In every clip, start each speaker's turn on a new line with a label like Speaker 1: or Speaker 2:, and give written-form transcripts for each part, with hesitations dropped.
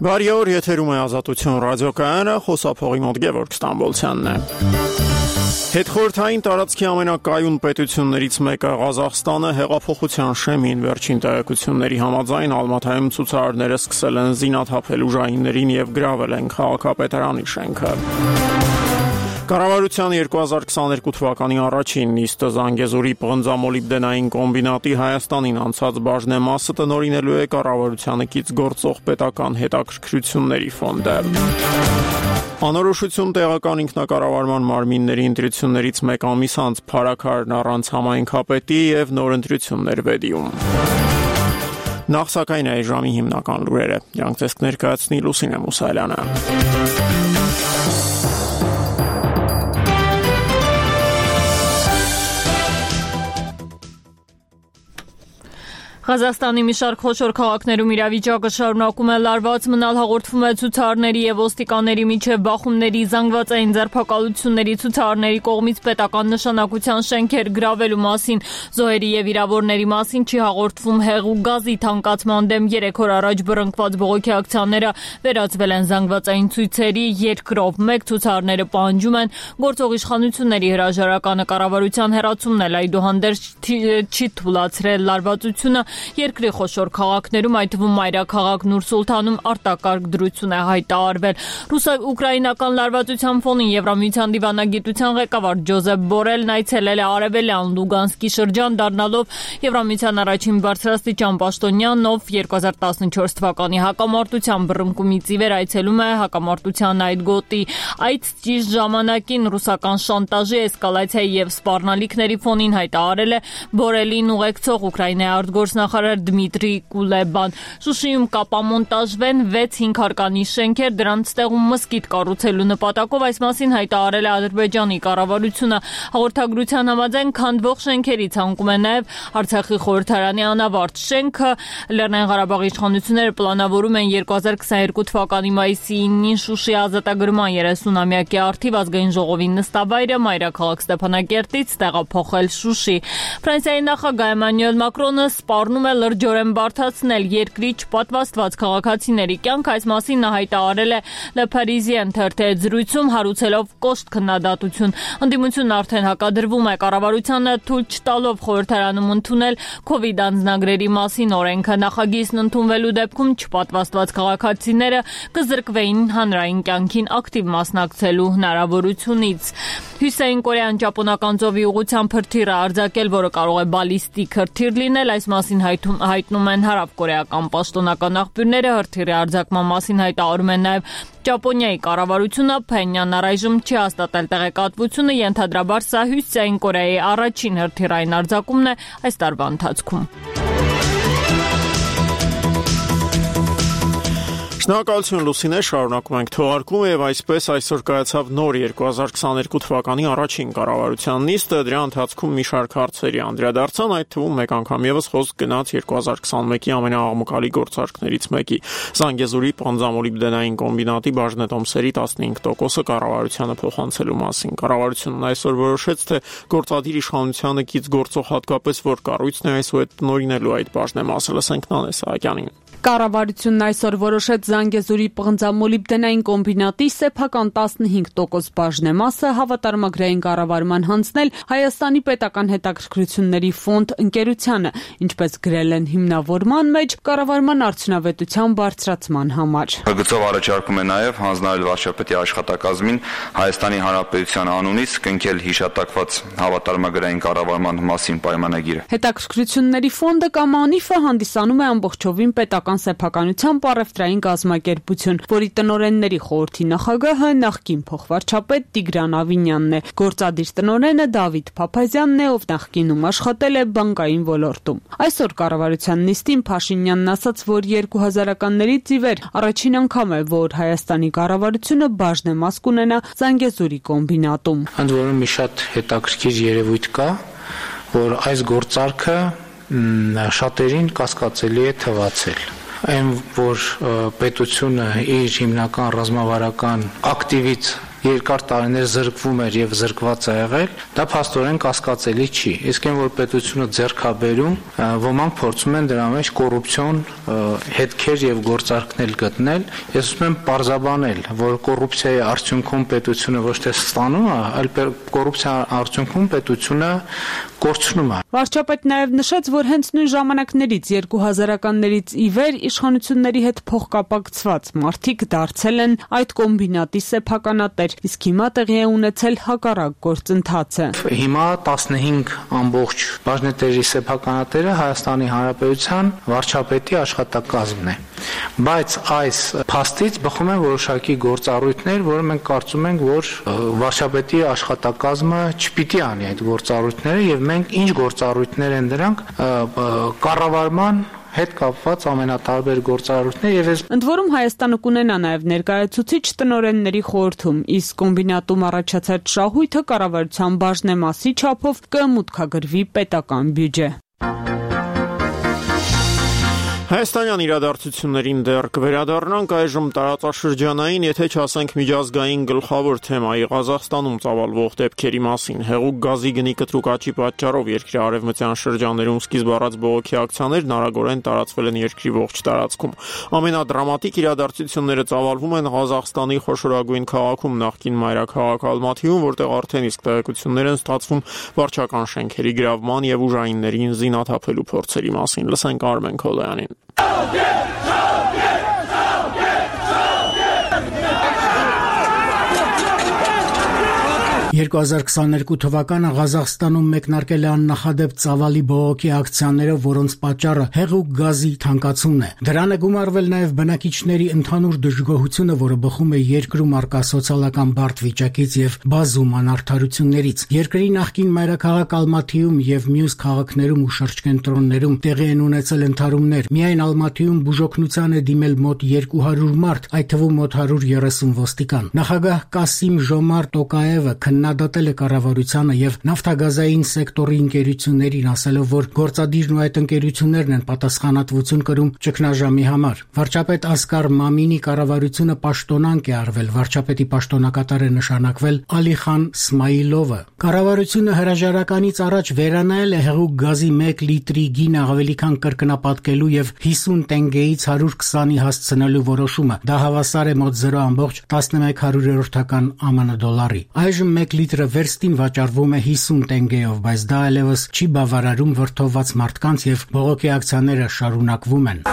Speaker 1: Բարի օր, եթերում է Ազատություն ռադիոկայանը, խոսափողի մոտ Գևորգ Ստամբոլցյանն է։ Հետխորհրդային տարածքի ամենակայուն պետություններից մեկը Ղազախստանը հեղափոխության շեմին վերջին տեղեկությունների համաձայն Ալմաթայում ցուցարարները սկսել են զինաթափել ուժայիններին եւ գրավել են քաղաքապետարանի շենքը։ Կառավարության 2022 թվականի առաջին նիստը Զանգեզուրի պղնձամոլիբդենային կոմբինատի Հայաստանին անցած բաժնեմասը տնօրինելու է կառավարությանը կից գործող պետական հետաքրքրությունների ֆոնդը։ Անորոշություն տեղական ինքնակառավարման մարմինների ընտրություններից մեկ ամիս անց Փարաքարն առանց համայնքապետի եւ նոր ընտրություններ Վեդիում։ Նախ սակայն այս ժամի հիմնական լուրերը։ Յանք ցես կներկայացնի Լուսինե Մուսայելյանը։
Speaker 2: Ղազախստանի մի շարք խոշոր քաղաքներում իրավիճակը շարունակում է լարված մնալ, հաղորդվում է ցուցարարների եւ ոստիկանների միջև բախումների, զանգվածային ձերբակալությունների, ցուցարարների կողմից պետական նշանակության շենքեր գրավելու մասին, զոհերի եւ վիրավորների մասին չի հաղորդվում։ Հեղուկ գազի թանկացման դեմ 3 օր առաջ բռնկված բողոքի ակցիաները վերածվել են զանգվածային ցույցերի, երկրով մեկ ցուցարարները պահանջում են գործող իշխանությունների հրաժարականը, կառավարության հերացումն էլ այդուհանդերձ չի թույլատրել լարվածությունը։ Երկրի խոշոր քաղաքներում, այդ թվում մայրաքաղաք Նուր-Սուլթանում արտակարգ դրություն է հայտարարվել։ Ուկրաինական լարվածության ֆոնին Եվրամիության դիվանագիտության ղեկավար Ջոզեփ Բորելն այցելել է Արևելյան Լուգանսկի շրջան, դառնալով Եվրամիության առաջին բարձրաստիճան պաշտոնյան, ով 2014 թվականի հակամարտության բռնկումից ի վեր այցելում է հակամարտության այդ գոտի։ Այդ ճիշտ ժամանակին ռուսական շանտաժի, էսկալացիայի եւ սպառնալիքների ֆոնին հայտարարել է Բորելին ուղեկցող Ուկրաինայի արտգործնախարար Դմիտրի Կուլեբան։ Շուշիում կապամոնտաժվեն 6 հինգհարկանի շենքեր, դրանց տեղում մզկիթ կառուցելու նպատակով, այս մասին հայտարարել է Ադրբեջանի կառավարությունը։ Հաղորդագրության համաձայն քանդվող շենքերի ցանկում է նաև Արցախի խորհրդարանի անավարտ շենքը։ Լեռնային Ղարաբաղի իշխանությունները պլանավորում են 2022 թվականի մայիսի 9-ին Շուշի ազատագրման 30-ամյակի առթիվ ազգային ժողովի նստավայրը մայրաքաղաք Ստեփանակերտից տեղափոխել Շուշի։ Ֆրանսիայի նախագահ Էմանուել Մակրոնը սպառնում է լրջորեն բարդացնել երկրի չպատվաստված քաղաքացիների կյանք, այս մասին նա հայտարարել է Le Parisien թերթի զրույցում, հարուցելով կոշտ քննադատություն։ Ընդդիմությունն արդեն հակադրվում է կառավարությանը թույլ չտալով խորհրդարանում ընդունել COVID անձնագրերի մասին օրենքը։ Նախագիծն ընդունվելու դեպքում չպատվաստված քաղաքացիները կզրկվեին հանրային կյանքին ակտիվ մասնակցելու հնարավորությունից։ Հյուսիսային Կորեան ճապոնական ծովի ուղղությամբ հրթիռ է արձակել, որը կարող է բալիստիկ հրթիռ լինել, այս մասին հայտնում են հարավկորեական պաշտոնական աղբյուրները։ Հրթիռի արձակման մասին հայտարարում են նաև Ճապոնիայի կառավարությունը։ Փենյանն առայժմ չի հաստատել տեղեկատվությունը, ենթադրաբար սա Հյուսիսային Կորեայի առաջին հրթիռային արձակումն է այս տարվա ընթացքում։
Speaker 1: Շնորհակալություն Լուսինե, շարունակում ենք թողարկումը եւ այսպես այսօր կայացավ նոր 2022 թվականի առաջին կառավարության նիստը, դրա ընթացքում մի շարք հարցերի անդրադարձան, այդ թվում մեկ անգամ եւս խոսք գնաց 2021-ի ամենաաղմկալի գործարքներից մեկի Զանգեզուրի պղնձամոլիբդենային կոմբինատի բաժնետոմսերի 15%-ը կառավարությանը փոխանցելու մասին։ Կառավարությունն այսօր որոշեց, թե գործադիր իշխանությանը կից գործող հատկապես որ կառույցն է այսօր տնօրինելու այդ բաժնեմասը։ Լսենք Նանե Սահակյանին։
Speaker 3: Կառավարությունն այսօր որոշեց Զանգեզուրի պղնձամոլիբդենային կոմբինատի սեփական 15% բաժնեմասը հավատարմագրային կառավարման հանձնել Հայաստանի պետական հետաքրքրությունների ֆոնդ ընկերությանը, ինչպես գրել են հիմնավորման մեջ, կառավարման արդյունավետության բարձրացման համար։
Speaker 4: Գծով առաջարկում է նաև հանձնել վարչապետի աշխատակազմին Հայաստանի Հանրապետության անունից կնքել հիշատակված հավատարմագրային կառավարման մասին պայմանագիրը։
Speaker 3: Հետաքրքրությունների ֆոնդը կամ ԱՆԻՖ-ը հանդիսանում է ամբողջովին պետական սեփականության պարևտրային կազմակերպություն, որի տնօրենների խորհրդի նախագահը նախկին փոխվարչապետ Տիգրան Ավինյանն է։ Գործադիր տնօրենը Դավիթ Փափազյանն է, ով նախկինում աշխատել է բանկային ոլորտում։ Այսօր կառավարության նիստին Փաշինյանն ասաց, որ 2000-ականներից ի վեր առաջին անգամ է, որ Հայաստանի կառավարությունը բաժնեմաս կունենա Զանգեզուրի կոմբինատում։
Speaker 5: Ընդ որում մի շատ հետաքրքիր երևույթ կա, որ այս գործարքը շատերին կասկածելի է թվացել։ Այն, որ պետությունը իր հիմնական ռազմավարական ակտիվից երկար տարիներ զրկվում էր եւ զրկված է եղել, դա փաստորեն կասկածելի չի։ Իսկ այն որ պետությունը ձեռքաբերում, ոմանք փորձում են դրա մեջ կոռուպցիոն հետքեր եւ գործարքներ գտնել։ Ես ուզում եմ պարզաբանել, որ կոռուպցիայի արդյունքում պետությունը ոչ թե ստանում է, այլ կոռուպցիայի արդյունքում պետությունը կորցնում է։
Speaker 3: Վարչապետն նաև նշեց, որ հենց նույն ժամանակներից 2000-ականներից ի վեր իշխանությունների հետ փոխկապակցված մարդիկ դարձել են այդ կոմբինատի սեփականատեր, իսկ հիմա տեղի է ունեցել հակառակ գործընթացը։
Speaker 5: Հիմա 15 ամբողջ բաժնետերի սեփականատերը Հայաստանի Հանրապետության վարչապետի աշխատակազմն է։ Բայց այս փաստից բխում են որոշակի գործառույթներ, որը մենք կարծում ենք, որ վարչապետի աշխատակազմը չպիտի անի այդ գործառույթները եւ մենք ինչ գործառույթներ են դրանք կառավարման հետ կապված ամենատարբեր գործառույթներ եւ
Speaker 3: ընդ որում Հայաստանը կունենա նաեւ ներկայացուցիչ տնօրենների խորհրդում, իսկ կոմբինատում առաջացած շահույթը կառավարության բաժնեմասի չափով կմուտքագրվի պետական բյուջե։
Speaker 1: Հայաստանյան իրադարձություններին դեռ կվերադառնանք այժմ տարածաշրջանային, եթե չասենք միջազգային գլխավոր թեմայի Ղազախստանում ծավալվող դեպքերի մասին։ Հեղուկ գազի գնի կտրուկ աճի պատճառով երկրի արևմտյան շրջաններում սկիզբ առած բողոքի ակցիաներն արագորեն տարածվել են երկրի ողջ տարածքում։ Ամենադրամատիկ իրադարձությունները ծավալվում են Ղազախստանի խոշորագույն քաղաքում, նախկին մայրաքաղաք Ալմաթիում, որտեղ արդեն իսկ տեղեկություններ են ստացվում վարչական շենքերի գրավման եւ ուժայիններին զինաթափելու փորձերի մասին։ Լսենք Արմեն Քոլյանին։
Speaker 6: 2022 թվականը Ղազախստանում մեկնարկել է աննախադեպ ծավալի բողոքի ակցիաներով, որոնց պատճառը հեղուկ գազի թանկացումն է։ Դրան է գումարվել նաև բնակիչների ընդհանուր դժգոհությունը, որը բխում է երկրում առկա սոցիալական բարդ վիճակից եւ բազում անարդարություններից։ Երկրի նախկին մայրաքաղաք Ալմաթիում եւ մյուս քաղաքներում ու շրջկենտրոններում տեղի են ունեցել ընդհարումներ։ Միայն Ալմաթիում բուժօգնության է դիմել մոտ 200 մարդ, այդ թվում մոտ 130 ոստիկան։ Նախագահ Կասիմ Ժոմարտ Տոկաևը քննադատել է կառավարությանը եւ նավթագազային սեկտորի ընկերություններին, ասելով, որ գործադիրն ու այդ ընկերություններն են պատասխանատվություն կրում ճգնաժամի համար։ Վարչապետ Ասկար Մամինի կառավարությունը պաշտոնանկ է արվել, վարչապետի պաշտոնակատար է նշանակվել Ալիխան Սմայիլովը։ Կառավարությունը հրաժարականից առաջ վերանայել է հեղուկ գազի 1 լիտրի գինը ավելի քան կրկնապատկելու եւ 50 տենգեից 120-ի հասցնելու որոշումը։ Դա հավասար է մոտ 0.11% ԱՄՆ դոլարի։ Այժմ 1 լիտրը վերստին վաճառվում է 50 տենգեով, բայց դա այլևս չի բավարարում վրդովված մարդկանց եւ բողոքի ակցիաները շարունակվում են։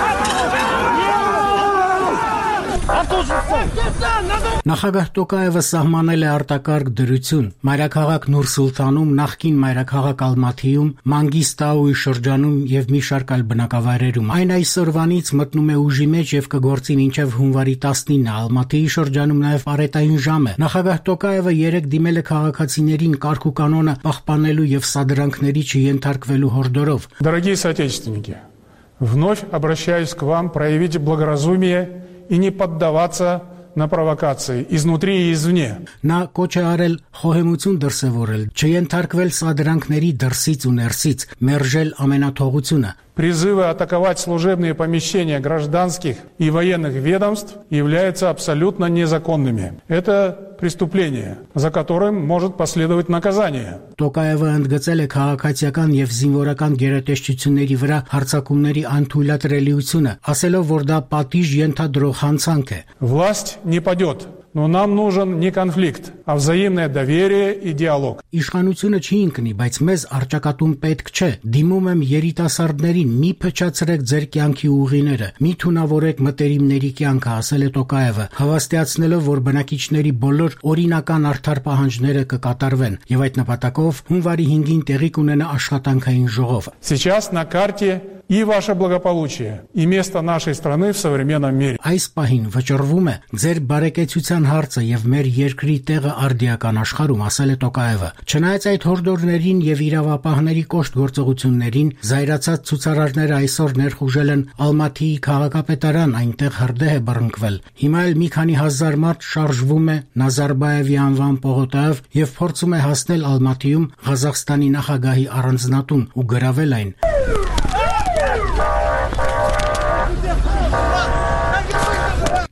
Speaker 6: Նախագահ Տոկաևը սահմանել է արտակարգ դրություն։ Մայրաքաղաք Նուր Սուլթանում, նախկին մայրաքաղաք Ալմաթիում, Մանգիստաուի շրջանում եւ մի շարք այլ բնակավայրերում։ Այն այսօրվանից մտնում է ուժի մեջ եւ կգործի մինչեւ հունվարի 19-ը։ Ալմաթիի շրջանում նաեւ պարետային ժամ է։ Նախագահ Տոկաևը երեք դիմել է քաղաքացիներին կարգ ու կանոնը պահպանելու եւ սադրանքների չենթարկվելու հորդորով։
Speaker 7: Дорогие соотечественники, вновь обращаюсь к вам проявить благоразумие и не поддаваться на провокации изнутри и извне.
Speaker 6: Նա կոչ է արել խոհեմություն դրսևորել, չենթարկվել սադրանքների դրսից ու ներսից, մերժել ամենաթողությունը։
Speaker 7: Призывы атаковать служебные помещения гражданских и военных ведомств являются абсолютно незаконными. Это преступление, за которым может последовать наказание.
Speaker 6: Տոկաևը ընդգծել է քաղաքացիական եւ զինվորական գերատեսչությունների վրա հարձակումների անթույլատրելիությունը, ասելով, որ դա պատիժ ենթադրող հանցանք է։
Speaker 7: Власть не падет. Но нам нужен не конфликт, а взаимное доверие и диалог.
Speaker 6: Իշխանությունը չի ընկնի, բայց մեզ արճակատում պետք չէ։ Դիմում եմ երիտասարդներին, մի փչացրեք ձեր կյանքի ուղիները, մի թունավորեք մտերիմների կյանքը, ասել է Տոկաևը, հավաստիացնելով, որ բնակիչների բոլոր օրինական արդար պահանջները կկատարվեն, եւ այդ նպատակով հունվարի 5-ին տեղի կունենա աշխատանքային ժողով։
Speaker 7: Сейчас на карте и ваше благополучие, и место нашей страны в современном мире.
Speaker 6: Այս պահին վճռվում է ձեր բարեկեցության հարցը եւ մեր երկրի տեղը արդիական աշխարհում, ասել է Տոկաևը։ Չնայած այդ հորդորներին եւ իրավապահների կոշտ գործողություններին, զայրացած ցուցարարները այսօր ներխուժել են Ալմաթիի քաղաքապետարան, այնտեղ հրդեհ է բռնկվել։ Հիմա էլ մի քանի հազար մարդ շարժվում է Նազարբաևի անվան պողոտայով եւ փորձում է հասնել Ալմաթիում Ղազախստանի նախագահի առանձնատուն ու գրավել այն։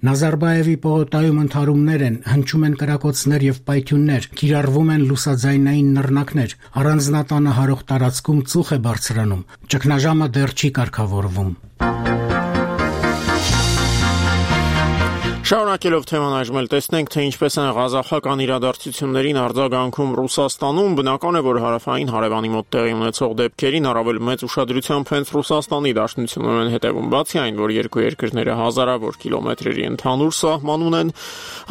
Speaker 6: Նազարբայևի պողոտայում ընդհարումներ են, հնչում են կրակոցներ եւ պայթյուններ, կիրառվում են լուսաձայնային նռնակներ, առանձնատանը հարող տարածքում ծուխ է բարձրանում, ճգնաժամը դեռ չի կարգավորվում։
Speaker 1: Շարունակելով թեման այժմ տեսնենք, թե ինչպես են ղազախական իրադարձություններին արձագանքում Ռուսաստանում, բնական է, որ հարավային հարևանի մոտ տեղի ունեցող դեպքերին առավել մեծ ուշադրությամբ հենց Ռուսաստանի Դաշնությունն են հետևում, բացի այն, որ երկու երկրները հազարավոր կիլոմետրերի ընդհանուր սահման ունեն,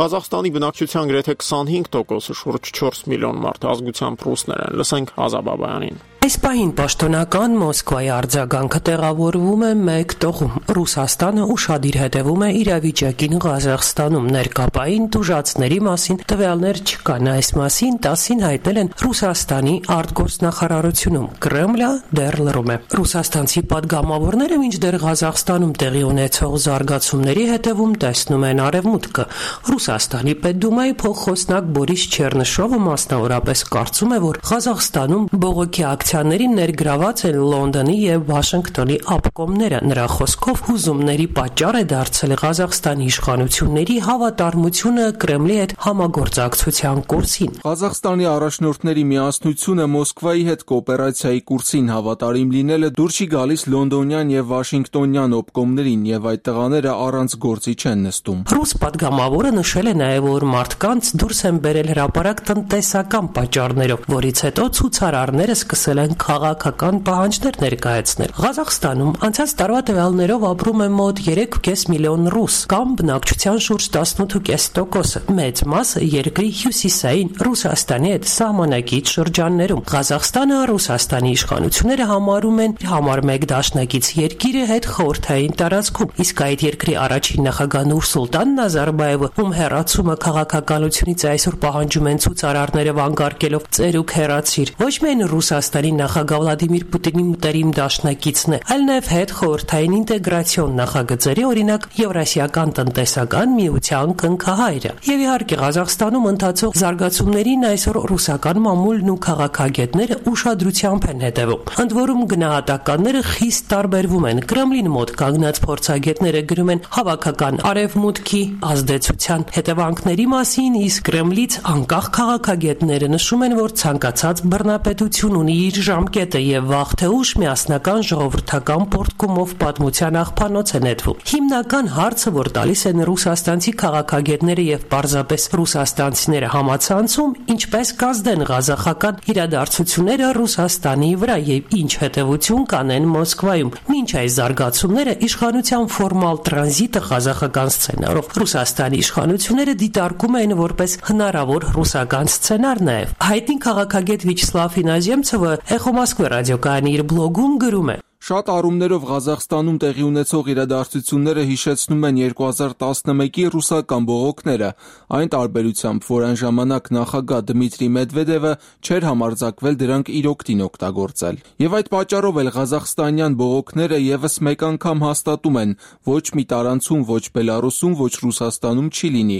Speaker 1: Ղազախստանի բնակչության գրեթե 25%-ը շուրջ 4 միլիոն մարդ ազգությամբ ռուսներ են։ Լսենք Ազա Բաբայանին։
Speaker 8: Այս պահին պաշտոնական Մոսկվայի արձագանքը տեղավորվում է մեկ տողում։ Ռուսաստանը ուշադիր հետևում է իրավիճակին Ղազախստանում, ներկապային տուժածների մասին տվյալներ չկան։ Այս մասին տասին հայտնել են Ռուսաստանի արտգործնախարարությունում։ Կրեմլը դեռ լռում է։ Ռուսաստանցի պատգամավորները մինչդեռ Ղազախստանում տեղի ունեցող զարգացումների հետևում տեսնում են արևմուտքը։ Ռուսաստանի Պետդումայի փոխխոսնակ Բորիս Չերնշովը մասնավորապես կարծում է, որ Ղազախստանում բողոքի ակցիաներին ներգրաված են Լոնդոնի եւ Վաշինգտոնի ապկոմները։ Նրա խոսքով հուզումների պատճառ է դարձել Ղազախստանի իշխանությունների հավատարմությունը Կրեմլի հետ համագործակցության կուրսին։
Speaker 9: Ղազախստանի առաջնորդների միասնությունը Մոսկվայի հետ կոոպերացիայի կուրսին հավատարիմ լինելը դուր չի գալիս լոնդոնյան եւ վաշինգտոնյան օպկոմներին եւ այդ տղաները առանց գործի չեն նստում։
Speaker 8: Ռուս պատգամավորը նշել է նաեւ, որ մարդկանց դուրս են բերել հրապարակ տնտեսական պատճառներով, որից հետո ցուցարարները սկսել են քաղաքական պահանջներ ներկայացնել։ Ղազախստանում անցած տարվա տվյալներով ապրում է մոտ 3.5 միլիոն ռուս, կամ բնակչության շուրջ 18.5%-ը։ Մեծ մասը երկրի հյուսիսային Ռուսաստանի հետ սահմանակից շրջաններում։ Ղազախստանը Ռուսաստանի իշխանությունները համարում են համար մեկ դաշնակից երկիրը հետ խորհրդային տարածքում, իսկ այդ երկրի առաջին նախագահ Նուրսուլտան Նազարբայևը, ում հեռացումը քաղաքականությունից այսօր պահանջում են ցուցարարները վանկարկելով ծերուկ հեռացիր, ոչ միայն Ռուսաստանի նախագահ Վլադիմիր Պուտինի մտերիմ դաշնակիցն է, այլ նաև հետ խորհրդային ինտեգրացիոն նախագծերի, օրինակ Եվրասիական տնտեսական միության կնքահայրը։ Եվ իհարկե Ղազախստանում ընթացող զարգացումներին այսօր ռուսական մամուլն ու քաղաքագետները ուշադրությամբ են հետևում։ Ընդ որում գնահատականները խիստ տարբերվում են։ Կրեմլին մոտ կանգնած փորձագետները գրում են հավաքական արևմուտքի ազդեցության հետևանքների մասին, իսկ Կրեմլից անկախ քաղաքագետները նշում են, որ ցանկացած բռնապետություն ունի իր ժամկետը եւ վաղ թե ուշ միասնական ժողովրդական պորտկումով պատմության աղբանոց է նետվում։ Հիմնական հարցը, որ տալիս են ռուսաստանցի քաղաքագետները եւ պարզապես ռուսաստանցիները համացանցում, ինչպես կազդեն ղազախական իրադարձությունները Ռուսաստանի վրա եւ ինչ հետեւություն կանեն Մոսկվայում։ Մինչ այս զարգացումները իշխանության ֆորմալ տրանզիտը ղազախական սցենարով Ռուսաստանի իշխանությունները դիտարկում են որպես հնարավոր ռուսական սցենար նաեւ։ Հայտնի քաղաքագետ Վիչսլավ Ինազեմցովը Էխո Մոսկվա ռադիոկայանի իր բլոգում գրում է.
Speaker 9: Շատ առումներով Ղազախստանում տեղի ունեցող իրադարձությունները հիշեցնում են 2011-ի ռուսական բողոքները, այն տարբերությամբ, որ այն ժամանակ նախագահ Դմիտրի Մեդվեդևը չէր համարձակվել դրանք իր օգտին օգտագործել։ Եվ այդ պատճառով էլ ղազախստանյան բողոքները եւս մեկ անգամ հաստատում են, ոչ մի տարանցում, ոչ Բելարուսում, ոչ Ռուսաստանում չի լինի։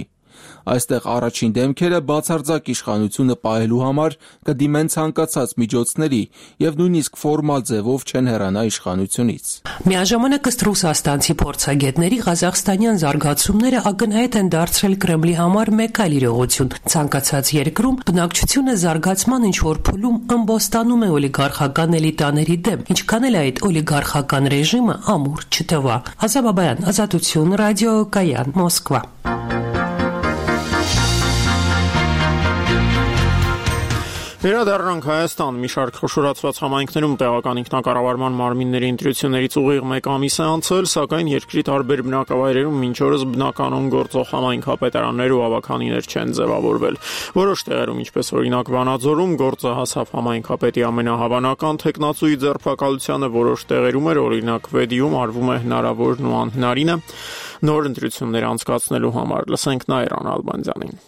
Speaker 9: Այստեղ առաջին դեմքերը բացարձակ իշխանությունը պահելու համար կդիմեն ցանկացած միջոցների եւ նույնիսկ ֆորմալ ձևով չեն հեռանա իշխանությունից։
Speaker 8: Միաժամանակ ըստ ռուսաստանցի փորձագետների ղազախստանյան զարգացումները ակնհայտ են դարձրել Կրեմլի համար մեկ այլ իրողություն։ Ցանկացած երկրում բնակչությունը զարգացման ինչ-որ փուլում ըմբոստանում է օլիգարխական էլիտաների դեմ, ինչքան էլ այդ օլիգարխական ռեժիմը ամուր չթվա։ Ազա Բաբայան, Ազատություն, ռադիո Կայան, Մոսկվա։
Speaker 1: Վերադառնանք Հայաստան։ Մի շարք խոշորացված համայնքներում տեղական ինքնակառավարման մարմինների ընտրություններից ուղիղ մեկ ամիս է անցել, սակայն երկրի տարբեր բնակավայրերում մինչ օրս բնականon գործող համայնքապետարաններ ու ավականիներ չեն ձևավորվել։ Որոշ տեղերում, ինչպես օրինակ Վանաձորում, գործը հասավ համայնքապետի ամենահավանական թեկնածուի ձերբակալությանը, որոշ տեղերում էր, օրինակ Վեդիում արվում է հնարավորն ու անհնարինը նոր ընտրություններ անցկացնելու համար։ Լսենք Նաիրան Ալբանդյանին։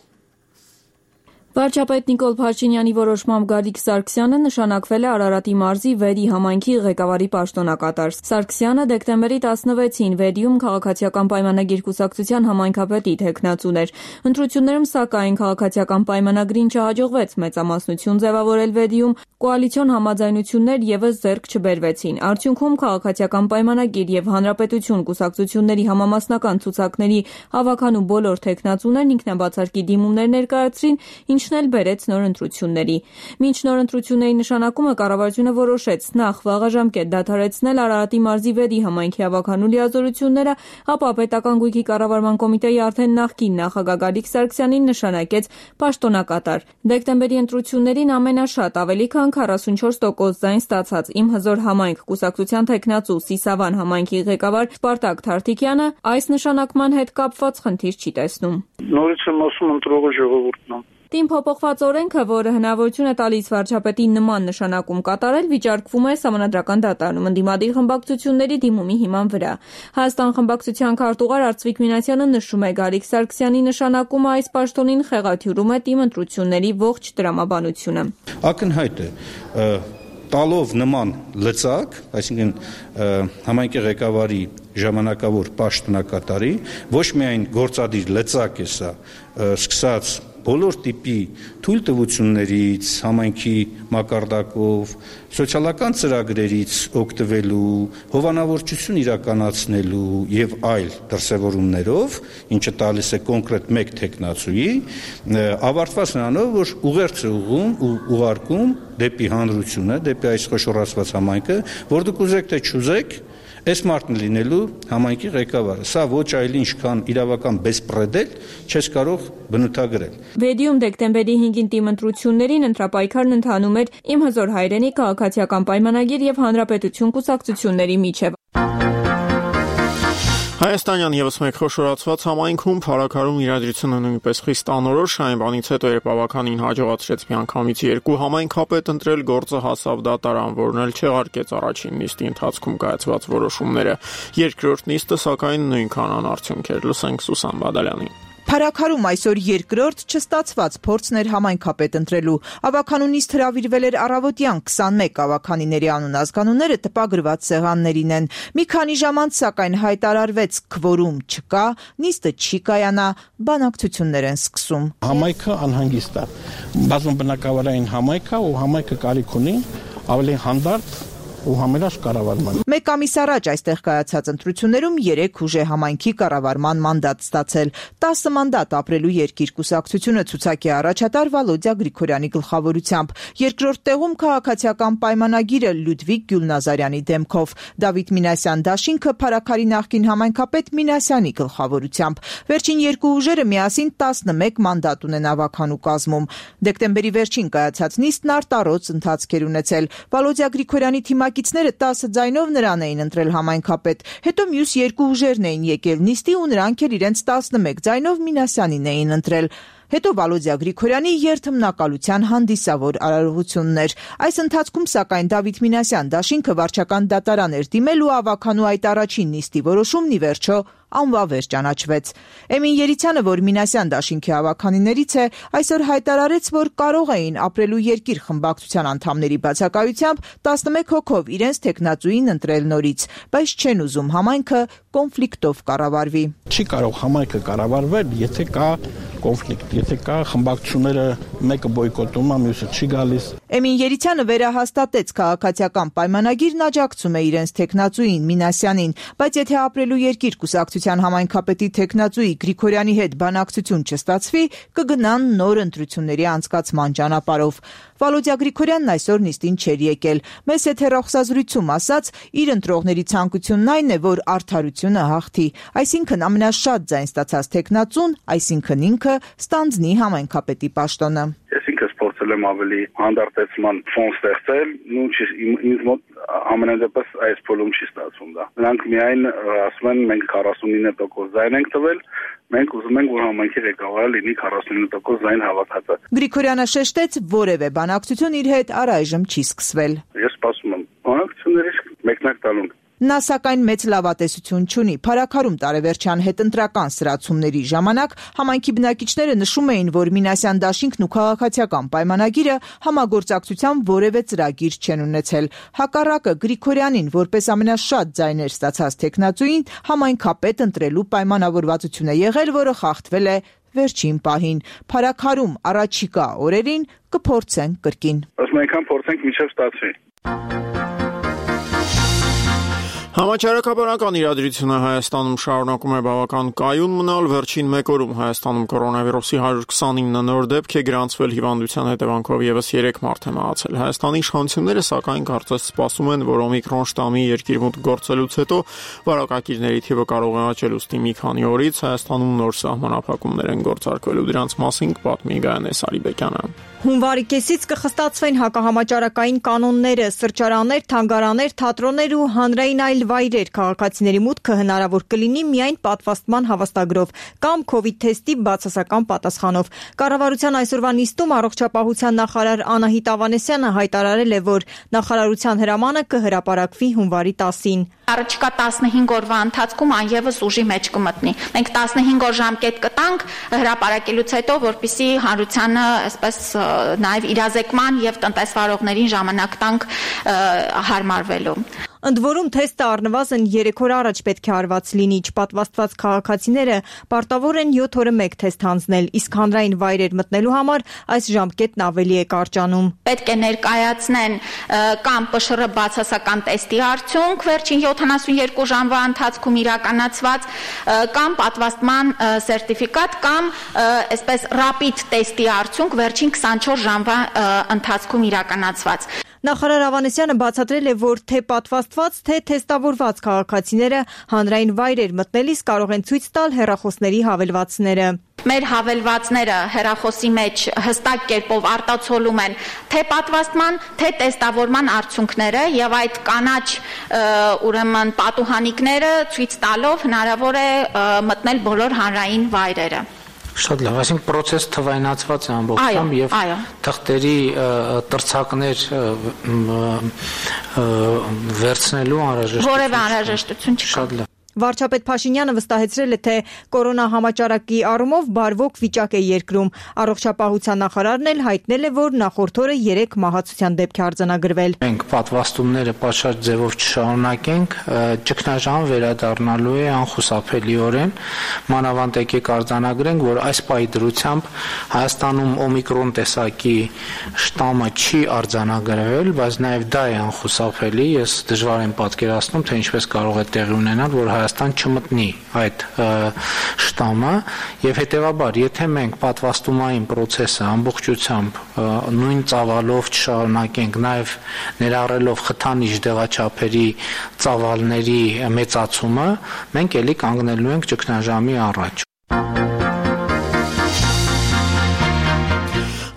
Speaker 10: Վարչապետ Նիկոլ Փաշինյանի որոշմամբ Գալիկ Սարգսյանը նշանակվել է Արարատի մարզի Վերի համայնքի ղեկավարի պաշտոնակատար։ Սարգսյանը դեկտեմբերի 16-ին Վերիում քաղաքացիական պայմանագիր կուսակցության համայնքապետի թեկնածուն էր։ Ընտրություններում սակայն քաղաքացիական պայմանագրին չհաջողվեց մեծամասնություն ձևավորել Վերիում, կոալիցիոն համաձայնություններ եւս ձեռք չբերվեցին։ Արդյունքում քաղաքացիական պայմանագիր եւ հանրապետություն կուսակցությունների համամասնական ցուցակների հավաքանու բոլոր թեկնածուներն ինքնաբացարկի դիմումներ ներկայացրին, ինչն էլ բերեց նոր ընտրությունների։ Մինչ նոր ընտրությունների նշանակումը կառավարությունը որոշեց նախ վաղաժամկետ դադարեցնել Արարատի մարզի Վերի համայնքի հավաքանու լիազորությունները, ապա պետական գույքի կառավարման կոմիտեի արդեն նախկին նախագահ Գալիկ Սարգսյանին նշանակեց պաշտոնակատար։ Դեկտեմբերի ընտրություններին ամենաշատ ավելի քան 44% ձայն ստացած Իմ հզոր համայնք կուսակցության թեկնածու Սիսավան համայնքի ղեկավար Սպարտակ Թարթիկյանը այս նշանակման հետ կապված խնդիր չի տեսնում։
Speaker 11: Նորից եմ ասում ընտրողը ժողովուրդն է։
Speaker 10: Տին փոփոխված օրենքը, որը հնարավորություն է տալիս վարչապետին նման նշանակում կատարել, վիճարկվում է Սահմանադրական դատարանում ընդդիմադիր խմբակցությունների դիմումի հիման վրա։ Հայաստան խմբակցության քարտուղար Արծվիկ Մինասյանը նշում է, Գալիկ Սարգսյանի նշանակումը այս պաշտոնին խեղաթյուրում է տիմ ընտրությունների ողջ տրամաբանությունը։
Speaker 12: Ակնհայտ է տալով նման լծակ, այսինքն համայնքի ղեկավարի ժամանակավոր պաշտոնակատարի, ոչ միայն գործադիր լծակ է սա, սկսած բոլոր տիպի թույլտվություններից, համայնքի մակարդակով, սոցիալական ծրագրերից օգտվելու, հովանավորչություն իրականացնելու եւ այլ դրսևորումներով, ինչը տալիս է կոնկրետ մեկ թեկնածուի, ավարտված նրանով, որ ուղերձ է ուղարկում դեպի հանրությունը, դեպի այս խոշորացված համայնքը, որ դուք ուզեք թե չուզեք, այս մարդն լինելու համայնքի ղեկավարը։ Սա ոչ այլ ինչ քան իրավական բեսպրեդել չես կարող բնութագրել։
Speaker 10: Վեդիում դեկտեմբերի 5-ին տիմ ընտրություններին ընտրապայքարն ընթանում էր Իմ հզոր հայրենիք քաղաքացիական պայմանագիր եւ հանրապետություն կուսակցությունների միջև։
Speaker 1: Հայաստանյան եւս մեկ խոշորացված համայնքում փառաքարում իրադրությունը նույնպես խիստ անորոշ, այն բանից հետո երբ ավականին հաջողացրեց միանգամից 2 համայնքապետ ընտրել, գործը հասավ դատարան, որն էլ չեղարկեց առաջին նիստի ընթացքում կայացված որոշումները։ Երկրորդ նիստը սակայն նույնքան անարդյունք էր։ Լսենք Սուսան Բադալյանին։
Speaker 13: Փառաքարում այսօր երկրորդ չստացված փորձն էր համայնքապետ ընտրելու։ Ավականու նիստ հրավիրվել էր առավոտյան 21 ավականիների անուն-ազգանունները տպագրված սեղաններին են։ Մի քանի ժամ անց սակայն հայտարարվեց քվորում չկա, նիստը չի կայանա, բանակցություններ են սկսում։
Speaker 14: Համայնքը անհանգիստ է։ Բազմաբնակավարային համայնք է ու համայնքը կարիք ունի ավելի հանդարտ ու համերաշխ կառավարման։
Speaker 13: Մեկ ամիս առաջ այստեղ կայացած ընտրություններում 3 ուժ է համայնքի կառավարման մանդատ ստացել։ 10 մանդատ ապրելու երկիր կուսակցությունը ցուցակի առաջատար Վալոդյա Գրիգորյանի գլխավորությամբ։ Երկրորդ տեղում քաղաքացիական պայմանագիրը Լյուդվիգ Գյուլնազարյանի դեմքով, Դավիթ Մինասյան դաշինքը Փառաքարի նախկին համայնքապետ Մինասյանի գլխավորությամբ։ Վերջին երկու ուժերը միասին 11 մանդատ ունեն ավականու կազմում։ Դեկտեմբերի վերջին կայացած նիստն արտառոց ընթացք էր ունեցել։ Վալոդյա Գրիգորյանի թիմակիցները 10 ձայնով նրան էին ընտրել համայնքապետ, հետո մյուս երկու ուժերն էին եկել նիստի ու նրանք էլ իրենց 11 ձայնով Մինասյանին էին ընտրել։ Հետո Վալոդյա Գրիգորյանի երթմնակալության հանդիսավոր արարողությունն էր։ Այս ընթացքում սակայն Դավիթ Մինասյան դաշինքը վարչական դատարան էր դիմել ու ավականու այդ առաջին նիստի որոշումն ի վերջո անվավեր ճանաչվեց։ Էմին Երիցյանը, որ Մինասյան դաշինքի ավականիներից է, այսօր հայտարարեց, որ կարող էին ապրելու երկիր խմբակցության անդամների բացակայությամբ 11 հոգով իրենց թեկնածուին ընտրել նորից, բայց չեն ուզում համայնքը կոնֆլիկտով կառավարվի։
Speaker 14: Չի կարող համայնքը կառավարվել, եթե կա կոնֆլիկտ, եթե կա խմբակցությունները մեկը բոյկոտում է, մյուսը չի գալիս։
Speaker 13: Էմին Երիցյանը վերահաստատեց քաղաքացիական պայմանագիրն աջակցում է իրենց թեկնածուին Մինասյանին, բայց եթե ապրելու երկիր կուսակցության համայնքապետի թեկնածուի Գրիգորյանի հետ բանակցություն չստացվի, կգնան նոր ընտրությունների անցկացման ճանապարհով։ Վալոդյա Գրիգորյանն այսօր նիստին չէր եկել։ Մեծ հեռախոսազրույցում ասաց, իր ընտրողների ցանկությունն այն է, որ արդարությունը հաղթի, այսինքն ամենաշատ ձայն ստացած թեկնածուն, այսինքն ինքը ստանձնի համայնքապետի պաշտոնը։
Speaker 11: Ես ինքս փորձել եմ ավելի հանդարտեցման ֆոն ստեղծել, ինձ մոտ ամենադեպս այս փուլում չի ստացվում դա։ Նրանք միայն ասում են մենք 49% ձայն ենք տվել, մենք ուզում ենք որ համայնքի ղեկավարը լինի 49% ձայն հավաքածը։
Speaker 13: Գրիգորյանը շեշտեց, որևէ բանակցություն իր հետ առայժմ չի սկսվել։
Speaker 11: Ես սպասում եմ բանակցություններից մեկնակ տալու։
Speaker 13: Նա սակայն մեծ լավատեսություն չունի։ Փարաքարում տարեվերջյան հետընտրական սրացումների ժամանակ համայնքի բնակիչները նշում էին, որ Մինասյան դաշինքն ու քաղաքացիական պայմանագիրը համագործակցության որևէ ծրագիր չեն ունեցել։ Հակառակը Գրիգորյանին որպես ամենաշատ ձայներ ստացած տեխնացուին համայնքապետ ընտրելու պայմանավորվածություն է եղել, որը խախտվել է վերջին պահին։ Փարաքարում առաջիկա օրերին կփորձեն կրկին։
Speaker 11: Ասում այնքան փորձենք մինչև ստացվի։
Speaker 1: Համաճարակաբանական իրադրությունը Հայաստանում շարունակում է բավական կայուն մնալ։ Վերջին մեկ օրում Հայաստանում կորոնավիրուսի 129 նոր դեպք է գրանցվել, հիվանդության հետևանքով եւս 3 մարդ է մահացել։ Հայաստանի իշխանությունները սակայն կարծես սպասում են, որ օմիկրոն շտամի երկիրմուտք գործելուց հետո վարակակիրների թիվը կարող է աճել, ուստի մի քանի օրից Հայաստանում նոր սահմանափակումներ են գործարկվելու։ Դրանց մասին կպատմի Գայանե Սարիբեկյանը։
Speaker 15: Հունվարի կեսից կխստացվեն հակահամաճարակային կանոնները, սրճարաններ, թանգարաններ, թատրոններ ու հանրային այլ վայրեր, քաղաքացիների մուտքը հնարավոր կլինի միայն պատվաստման հավաստագրով կամ COVID թեստի բացասական պատասխանով։ Կառավարության այսօրվա նիստում առողջապահության նախարար Անահիտ Ավանեսյանը հայտարարել է, որ նախարարության հրամանը կհրապարակվի հունվարի 10-ին։
Speaker 16: Առաջիկա 15 օրվա ընթացքում անևս ուժի մեջ կմտնի։ Մենք 15 օր ժամկետ կտանք հրապարակելուց հետո, որպեսզի հանրությանը այսպես նաև իրազեկման եւ տնտեսվարողներին ժամանակ տանք հարմարվելու։
Speaker 15: Ընդ որում թեստը առնվազն 3 օր առաջ պետք է արված լինի, չպատվաստված քաղաքացիները պարտավոր են 7 օրը մեկ թեստ հանձնել, իսկ հանրային վայրեր մտնելու համար այս ժամկետն ավելի է կարճանում։
Speaker 16: Պետք է ներկայացնեն կամ ՊՇՌ բացասական տեստի արդյունք վերջին 72 ժամվա ընթացքում իրականացված, կամ պատվաստման սերտիֆիկատ, կամ այսպես ռապիդ տեստի արդյունք վերջին 24 ժամվա ընթացքում իրականացված։
Speaker 15: Նախարար Ավանեսյանը բացատրել է, որ թե պատվաստված, թե թեստավորված քաղաքացիները հանրային վայրեր մտնելիս կարող են ցույց տալ հեռախոսների հավելվածները։
Speaker 16: Մեր հավելվածները հեռախոսի մեջ հստակ կերպով արտացոլում են թե պատվաստման, թե տեստավորման արդյունքները եւ այդ կանաչ ուրեմն պատուհանիկները ցույց տալով հնարավոր է մտնել բոլոր հանրային վայրերը։
Speaker 5: Շատ լավ, այսինքն process թվայնացված է ամբողջությամբ եւ թղթերի տրցակներ վերցնելու անհրաժեշտություն։
Speaker 16: Որևէ անհրաժեշտություն չկա։
Speaker 5: Շատ լավ։
Speaker 15: Վարչապետ Փաշինյանը վստահեցրել է, թե կորոնա համաճարակի առումով բարվոք վիճակ է երկրում։ Առողջապահության նախարարն էլ հայտնել է, որ նախորդ օրը 3 մահացության դեպք է արձանագրվել։
Speaker 5: Մենք պատվաստումները պատշաճ ձևով չշարունակենք, ճգնաժամ վերադառնալու է անխուսափելիորեն։ Մանավանդ եկեք արձանագրենք, որ այս պայդրությամբ Հայաստանում օմիկրոն տեսակի շտամը չի արձանագրվել, բայց նաև դա է անխուսափելի։ Ես դժվար եմ պատկերացնում, թե ինչպես կարող է տեղի ունենալ, որ Հայաստան չմտնի այդ շտամը եւ հետեւաբար եթե մենք պատվաստումային process-ը ամբողջությամբ նույն ծավալով չշարունակենք, նաեւ ներառելով խթանիչ դեղաչափերի ծավալների մեծացումը, մենք ելի կանգնելու ենք ճգնաժամի առաջ։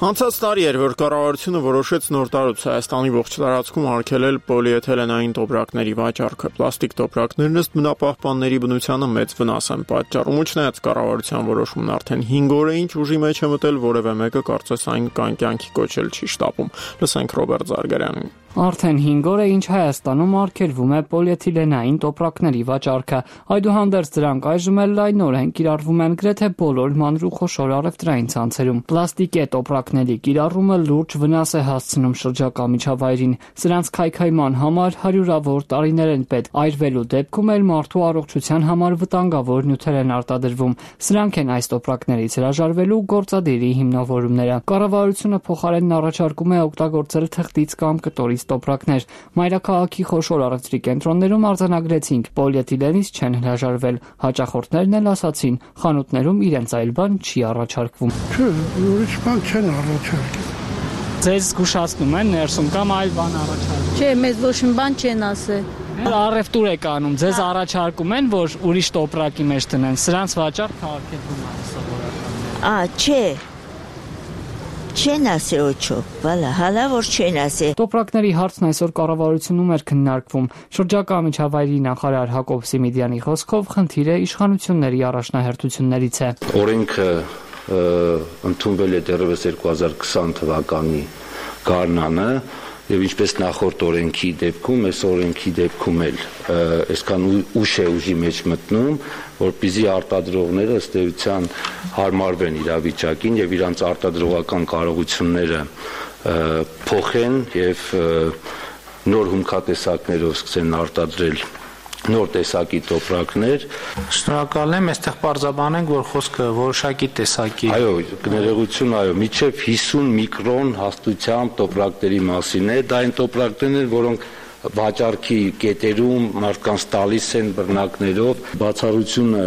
Speaker 1: Անցած տարի էր, որ կառավարությունը որոշեց նոր տարուց Հայաստանի ողջ տարածքում արգելել պոլիէթիլենային տոպրակների վաճառքը։ Պլաստիկ տոպրակներն ըստ բնապահպանների բնությանը մեծ վնաս են պատճառում, ու չնայած կառավարության որոշումն արդեն 5 օր է ինչ ուժի մեջ է մտել, որևէ մեկը կարծես այն կյանքի կոչել չի շտապում։ Լսենք Ռոբերտ Զարգարյանին։
Speaker 17: Արդեն 5 օր է ինչ Հայաստանում արգելվում է պոլիէթիլենային տոպրակների վաճառքը։ Այդուհանդերձ դրանք այժմ էլ լայնորեն կիրառվում են գրեթե բոլոր մանր ու խոշոր առևտրային ցանցերում։ Պլաստիկե տոպրակների կիրառումը լուրջ վնաս է հասցնում շրջակա միջավայրին։ Սրանց քայքայման համար հարյուրավոր տարիներ են պետք։ Այրվելու դեպքում էլ մարդու առողջության համար վտանգավոր նյութեր են արտադրվում։ Սրանք են այս տոպրակներից հրաժարվելու գործադիրի հիմնավորումները։ Կառավարությունը փոխարենն առաջարկում է օգտագործել թղթից կամ կտորից տոպրակներ։ Մայրաքաղաքի խոշոր առևտրի կենտրոններում արձանագրեցինք, պոլիէթիլենից չեն հրաժարվել։ Հաճախորդներն էլ ասացին, խանութներում իրենց այլ բան չի առաջարկվում։
Speaker 18: Չէ, ուրիշ բան չեն առաջարկել։
Speaker 17: Ձեզ զգուշացնում են ներսում կամ այլ բան առաջարկում։
Speaker 19: Չէ, մեզ ոչ մի բան չեն ասել։
Speaker 17: Առևտուր է կանում, ձեզ առաջարկում են, որ ուրիշ տոպրակի մեջ տնեն։ Սրանց վաճառքը արգելվում է սովորական։
Speaker 19: Չէ։ Չեն ասե ոչո, բալա, հալա որ չեն ասե։
Speaker 17: Տոպրակների հարցն այսօր կառավարությունում էր քննարկվում։ Շրջակա միջավայրի նախարար Հակոբ Սիմիդյանի խոսքով խնդիրը իշխանությունների առաջնահերթություններից է։
Speaker 20: Օրենքը ընդունվել է դեռևս 2020 թվականի գարնանը, եւ ինչպես նախորդ օրենքի դեպքում, այս օրենքի դեպքում էլ այսքան ուշ է ուժի մեջ մտնում, որպեսզի արտադրողները ըստ էության հարմարվեն իրավիճակին եւ իրանց արտադրողական կարողությունները փոխեն եւ նոր հումքատեսակներով սկսեն արտադրել նոր տեսակի տոպրակներ։
Speaker 5: Շնորհակալ եմ, այստեղ բարձրաբանենք, որ խոսքը որոշակի տեսակի։
Speaker 20: Այո, ներողություն, այո, մինչև 50 միկրոն հաստությամբ տոպրակների մասին է, դա այն տոպրակներն են, որոնք վաճառքի կետերում մարդկանց տալիս են բռնակներով, բացառությունը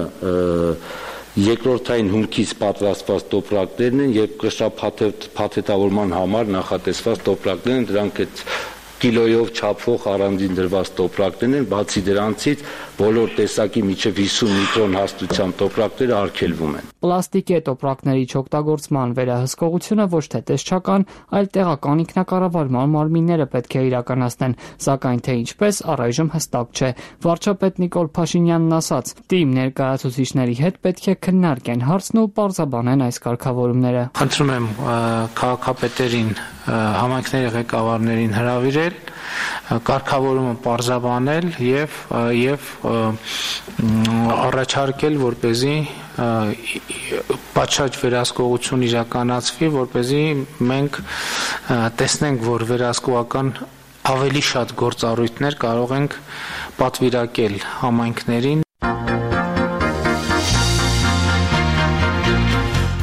Speaker 20: երկրորդային հումքից պատրաստված տոպրակներն են եւ կշռափաթեթավորման համար նախատեսված տոպրակներն են, դրանք այդ կիլոյով չափվող առանձին դրված տոպրակներն են, բացի դրանցից բոլոր տեսակի միջև 50 միկրոն հաստությամբ տոպրակները արգելվում են։
Speaker 17: Պլաստիկե տոպրակների չօգտագործման վերահսկողությունը ոչ թե տեսչական, այլ տեղական ինքնակառավարման մարմինները պետք է իրականացնեն, սակայն թե ինչպես առայժմ հստակ չէ։ Վարչապետ Նիկոլ Փաշինյանն ասաց. «Թիմ ներկայացուցիչների հետ պետք է քննարկեն հարցն ու պարզաբանեն այս կարգավորումները»։
Speaker 5: Խնդրում եմ քաղաքապետերին, համայնքների ղեկավարներին հրավիրել, կարգավորումը պարզաբանել եւ առաջարկել, որպեսզի պատշաճ վերահսկողություն իրականացվի, որպեսզի մենք տեսնենք, որ վերահսկողական ավելի շատ գործառույթներ կարող ենք պատվիրակել համայնքներին։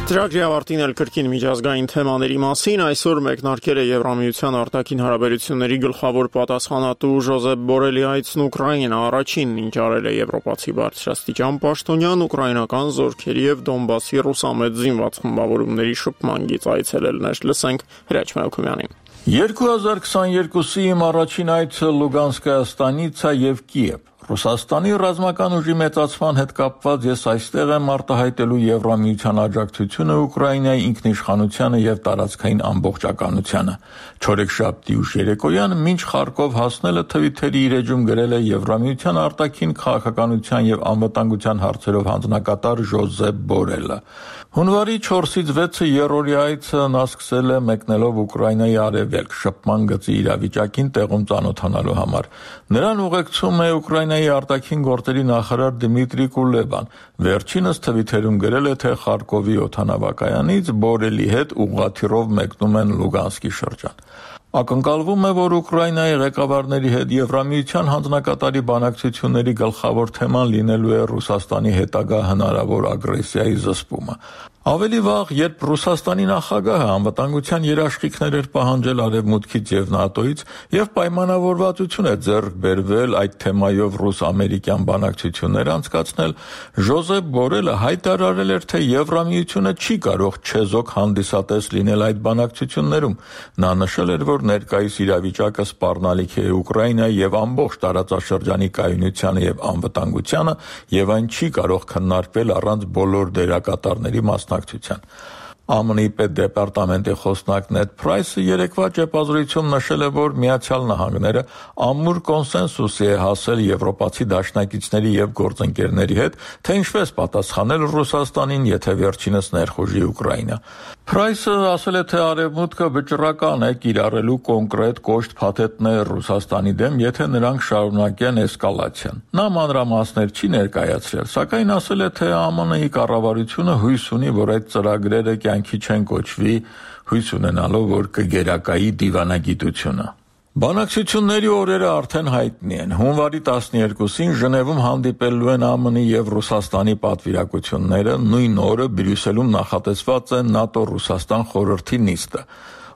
Speaker 1: Ծրագրի ավարտին էլ կրկին միջազգային թեմաների մասին այսօր մեկնարկել է Եվրամիության արտաքին հարաբերությունների գլխավոր պատասխանատու Ժոզեփ Բորելի այցն Ուկրաինա, առաջինն ինչ արել է եվրոպացի բարձրաստիճան պաշտոնյան ուկրաինական զորքերի եւ Դոնբասի ռուսամետ զինված խմբավորումների շփման գիծ այցելելներ։ Լսենք Հրաչ Մելքումյանին։
Speaker 21: 2022-ի իմ առաջին այցը Լուգանսկայա ստանիցա եւ Կիև։ Ռուսաստանի ռազմական ուժի մեծացման հետ կապված ես այստեղ եմ արտահայտելու Եվրամիության աջակցությունը Ուկրաինայի ինքնիշխանությանը եւ տարածքային ամբողջականությանը։ Չորեքշաբթի ուշ երեկոյան մինչ Խարկով հասնելը Թվիթերի իր էջում գրել է Եվրամիության արտաքին քաղաքականության եւ անվտանգության հարցերով հանձնակատար Ժոզեփ Բորելը։ Հունվարի 4-ից 6-ը երրորդի այցը նա սկսել է մեկնելով Ուկրաինայի արևելք շփման գծի իրավիճակին տեղում ծանոթանալու համար։ Նրան ուղեկցում է Ուկրաինայի արտաքին գործերի նախարար Դմիտրի Կուլեբան։ Վերջինս Թվիթերում գրել է, թե Խարկովի օդանավակայանից Բորելի հետ ուղղաթիռով մեկնում են Լուգանսկի շրջան։ Ակնկալվում է, որ Ուկրաինայի ղեկավարների հետ Եվրամիության հանձնակատարի բանակցությունների գլխավոր թեման լինելու է Ռուսաստանի հետագա հնարավոր ագրեսիայի զսպումը։ Ավելի վաղ, երբ Ռուսաստանի նախագահը անվտանգության երաշխիքներ էր պահանջել Արևմուտքից եւ ՆԱՏՕ-ից եւ պայմանավորվածություն է ձեռք բերվել այդ թեմայով ռուս-ամերիկյան բանակցություններ անցկացնել, Ժոզեփ Բորելը հայտարարել էր, թե Եվրամիությունը չի կարող չեզոք հանդիսատես լինել այդ բանակցություններում։ Նա նշել էր, որ ներկայիս իրավիճակը սպառնալիք է Ուկրաինայի եւ ամբողջ տարածաշրջանի կայունությանը եւ անվտանգությանը եւ այն չի կարող քննարկվել առանց բոլոր դերակատարների մասնակցության։ ԱՄՆ-ի պետդեպարտամենտի խոսնակ Նեդ Փրայսը երեկվա ճեպազրույցում նշել է, որ Միացյալ Նահանգները ամուր կոնսենսուսի է հասել եվրոպացի դաշնակիցների եւ գործընկերների հետ, թե ինչպես պատասխանել Ռուսաստանին, եթե վերջինս ներխուժի Ուկրաինա։ Փրայսը ասել է, թե Արևմուտքը վճռական է կիրառելու կոնկրետ կոշտ փաթեթներ Ռուսաստանի դեմ, եթե նրանք շարունակեն էսկալացիան։ Նա մանրամասներ չի ներկայացրել, սակայն ասել է, թե ԱՄՆ-ի կառավարությունը հույս ունի, որ այդ ծրագրերը կյանքի չեն կոչվի, հույս ունենալով, որ կգերակայի դիվանագիտությունը։ Բանակցությունների օրերը արդեն հայտնի են։ Հունվարի 12-ին Ժնևում հանդիպելու են ԱՄՆ-ի եւ Ռուսաստանի պատվիրակությունները, նույն օրը Բրյուսելում նախատեսված է ՆԱՏՕ-Ռուսաստան խորհրդի նիստը։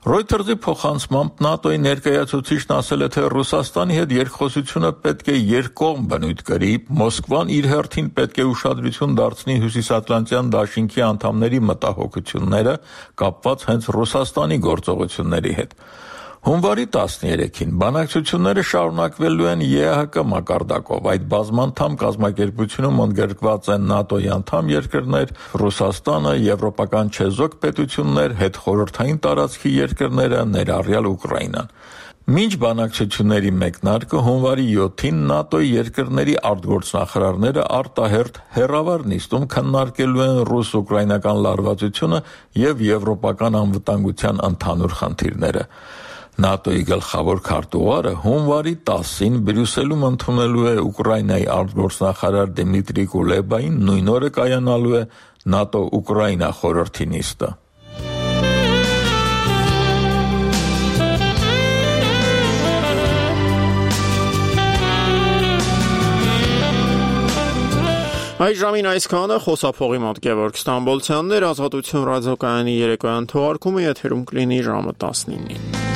Speaker 21: Reuters-ի փոխանցմամբ ՆԱՏՕ-ի ներկայացուցիչն ասել է, թե Ռուսաստանի հետ երկխոսությունը պետք է երկկողմ բնույթ կրի, Մոսկվան իր հերթին պետք է ուշադրություն դարձնի Հյուսիսատլանտյան դաշինքի անդամների մտահոգությունները կապված հենց Ռուսաստանի գործողությունների հետ։ Հունվարի 13-ին բանակցությունները շարունակվելու են ԵԱՀԿ մակարդակով։ Այդ բազմանդամ կազմակերպությունում ընդգրկված են ՆԱՏՕ-ի անդամ երկրներ, Ռուսաստանը, եվրոպական չեզոք պետություններ, հետխորհրդային տարածքի երկրները, ներառյալ Ուկրաինան։ Մինչ բանակցությունների մեկնարկը հունվարի 7-ին ՆԱՏՕ-ի երկրների արտգործնախարարները արտահերթ հեռավար նիստում քննարկելու են ռուս-ուկրաինական լարվածությունը եւ եվրոպական անվտանգության ընդհանուր խնդիրները։ ՆԱՏՕ-ի գլխավոր քարտուղարը հունվարի 10-ին Բրյուսելում ընդունելու է Ուկրաինայի արտգործնախարար Դմիտրի Կուլեբային, նույն օրը կայանալու է ՆԱՏՕ-Ուկրաինա խորհրդի նիստը։
Speaker 1: Այս ժամին այսքանը, խոսափողի մոտ Գևորգ Ստամբոլցյանն էր, Ազատություն ռադիոկայանի երեկոյան թողարկումը եթերում կլինի ժամը 19-ին։